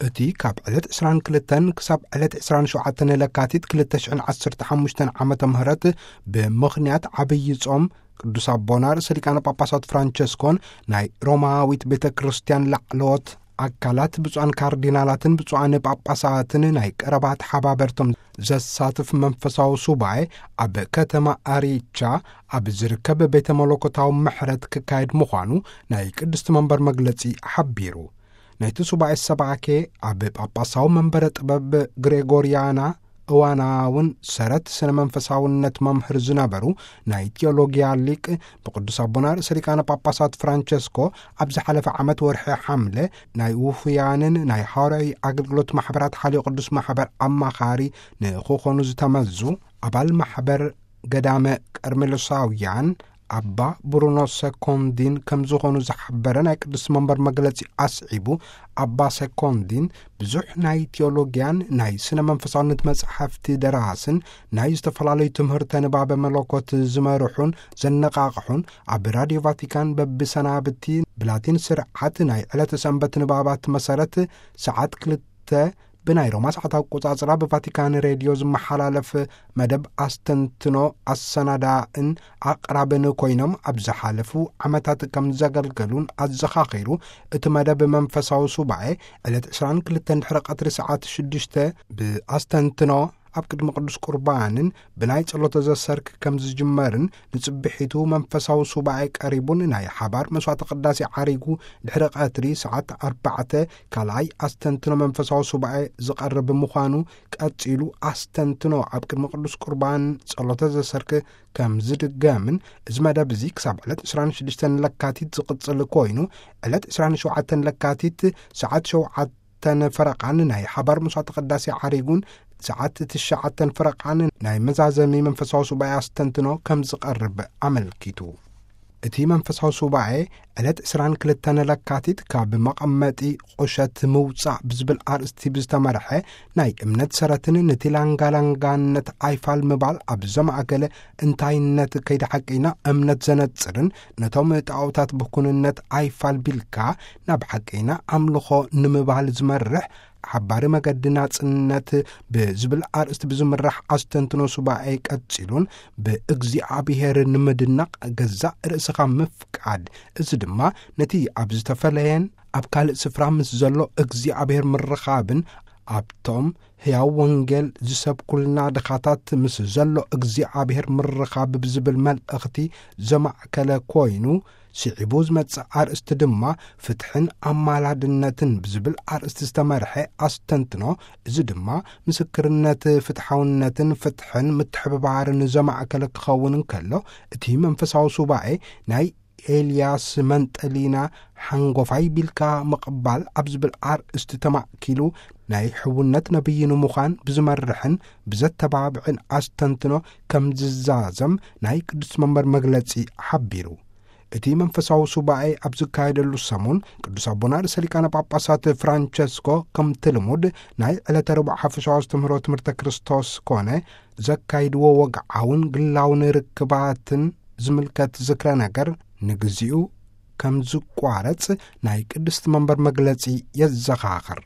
እቲ ካብ ዕለት ዕስራን ክልተን ክሳብ ዕለት ዕስራን ሸውዓተን ለካቲት ክልተ ሽሕን ዓሰርተ ሓሙሽተን ዓመተ ምህረት ብምኽንያት ዓብዪ ጾም ቅዱስ ኣቦና ርእሰ ሊቃነ ጳጳሳት ፍራንቸስኮን ናይ ሮማዊት ቤተ ክርስቲያን ላዕለዎት ኣካላት ብፁዓን ካርዲናላትን ብፁዓን ጳጳሳትን ናይ ቀረባ ተሓባበርቶም ዘሳትፍ መንፈሳዊ ሱባኤ ኣብ ከተማ ኣሪቻ ኣብ ዝርከብ ቤተ መለኮታዊ ምሕረት ክካየድ ምዃኑ ናይ ቅድስቲ መንበር መግለጺ ሓቢሩ። ናይቲ ሱባኤ ሰባኬ ኣብ ጳጳሳዊ መንበረ ጥበብ ግሬጎርያና እዋናውን ሰረት ስነ መንፈሳውነት መምህር ዝነበሩ ናይ ቲዮሎጊያ ሊቅ ብቅዱስ ኣቦና ርእሰ ሊቃነ ጳጳሳት ፍራንቸስኮ ኣብ ዝሓለፈ ዓመት ወርሒ ሓምለ ናይ ውፉያንን ናይ ሃዋርያዊ ኣገልግሎት ማሕበራት ሓልዮ ቅዱስ ማሕበር ኣማኻሪ ንክኾኑ ዝተመዙ ኣባል ማሕበር ገዳመ ቀርሜሎሳውያን ኣባ ብሩኖ ሰኮንዲን ከም ዝኾኑ ዝሓበረ ናይ ቅዱስ መንበር መግለጺ ኣስዒቡ፣ ኣባ ሰኮንዲን ብዙሕ ናይ ቲዮሎጊያን ናይ ስነ መንፈሳውነት መጻሕፍቲ ደራስን ናይ ዝተፈላለዩ ትምህርተ ንባበ መለኮት ዝመርሑን ዘነቓቕሑን ኣብ ራድዮ ቫቲካን በብሰናብቲ ብላቲን ስርዓት ናይ ዕለተ ሰንበት ንባባት መሰረት ሰዓት ክልተ ብናይ ሮማ ሰዓት ኣቆጻጽራ ብቫቲካን ሬድዮ ዝመሓላለፍ መደብ ኣስተንትኖ ኣሰናዳእን ኣቕራብን ኮይኖም ኣብ ዝሓለፉ ዓመታት ከም ዘገልገሉን ኣዘኻኺሩ፣ እቲ መደብ መንፈሳዊ ሱባኤ ዕለት ዕስራን ክልተን ድሕሪ ቀትሪ ሰዓት ሽዱሽተ ብኣስተንትኖ ኣብ ቅድሚ ቅዱስ ቁርባንን ብናይ ጸሎተ ዘሰርክ ከም ዝጅመርን ንጽብሒቱ መንፈሳዊ ሱባኤ ቀሪቡን ናይ ሓባር መስዋዕተ ቅዳሴ ዓሪጉ ድሕሪ ቀትሪ ሰዓት ኣርባዕተ ካልኣይ ኣስተንትኖ መንፈሳዊ ሱባኤ ዝቐርብ ምዃኑ ቀጺሉ ኣስተንትኖ ኣብ ቅድሚ ቅዱስ ቁርባን ጸሎተ ዘሰርክ ከም ዝድገምን እዚ መደብ እዚ ክሳብ ዕለት ዕስራን ሽዱሽተን ለካቲት ዝቕጽል ኮይኑ ዕለት ዕስራን ሸውዓተን ለካቲት ሰዓት ሸውዓተ ተን ፈረቓን ናይ ሓባር መስዋዕተ ቅዳሴ ዓሪጉን ሰዓት ትሽዓተን ፈረቓን ናይ መዛዘሚ መንፈሳዊ ሱባኤ ኣስተንትኖ ከም ዝቐርብ ኣመልኪቱ። እቲ መንፈሳዊ ሱባኤ ዕለት ዕስራን ክልተን ለካቲት ካብ መቐመጢ ቁሸት ምውጻእ ብዝብል ኣርእስቲ ብዝተመርሐ ናይ እምነት ሰረትን ንቲላንጋላንጋነት ኣይፋል ምባል ኣብ ዘማእከለ እንታይነት ከይዲ ሓቂና እምነት ዘነጽርን ነቶም ጣዖታት ብኩንነት ኣይፋል ቢልካ ናብ ሓቂና ኣምልኾ ንምባል ዝመርሕ ሓባሪ መገዲ ናጽነት ብዝብል ኣርእስቲ ብዝምራሕ ኣስተንትኖ ሱባኤ ቀጺሉን ብእግዚኣብሔር ንምድናቕ ገዛእ ርእስኻ ምፍቃድ፣ እዚ ድማ ነቲ ኣብ ዝተፈለየን ኣብ ካልእ ስፍራ ምስ ዘሎ እግዚኣብሔር ምርኻብን ኣብቶም ሕያው ወንጌል ዝሰብኩልና ድኻታት ምስ ዘሎ እግዚኣብሔር ምርኻብ ብዝብል መልእኽቲ ዘማእከለ ኮይኑ፣ ስዒቡ ዝመጽእ ኣርእስቲ ድማ ፍትሕን ኣማላድነትን ብዝብል ኣርእስቲ ዝተመርሐ ኣስተንትኖ፣ እዚ ድማ ምስክርነት ፍትሓውነትን ፍትሕን ምትሕብባርን ዘማእከለ ክኸውን እንከሎ፣ እቲ መንፈሳዊ ሱባኤ ናይ ኤልያስ መንጠሊና ሓንጎፋይ ቢልካ ምቕባል ኣብ ዝብል ኣርእስቲ ተማእኪሉ ናይ ሕውነት ነቢይ ንምዃን ብዝመርሕን ብዘተባብዕን ኣስተንትኖ ከም ዝዛዘም ናይ ቅዱስ መንበር መግለጺ ሓቢሩ። እቲ መንፈሳዊ ሱባኤ ኣብ ዝካየደሉ ሰሙን ቅዱስ ኣቦና ርእሰ ሊቃነ ጳጳሳት ፍራንቸስኮ ከምቲ ልሙድ ናይ ዕለተ ረቡዕ ሓፈሻዊ ኣስተምህሮ ትምህርተ ክርስቶስ ኮነ ዘካይድዎ ወግዓውን ግላውን ርክባትን ዝምልከት ዝክረ ነገር ንግዚኡ ከም ዝቋረጽ ናይ ቅድስቲ መንበር መግለጺ የዘኻኽር።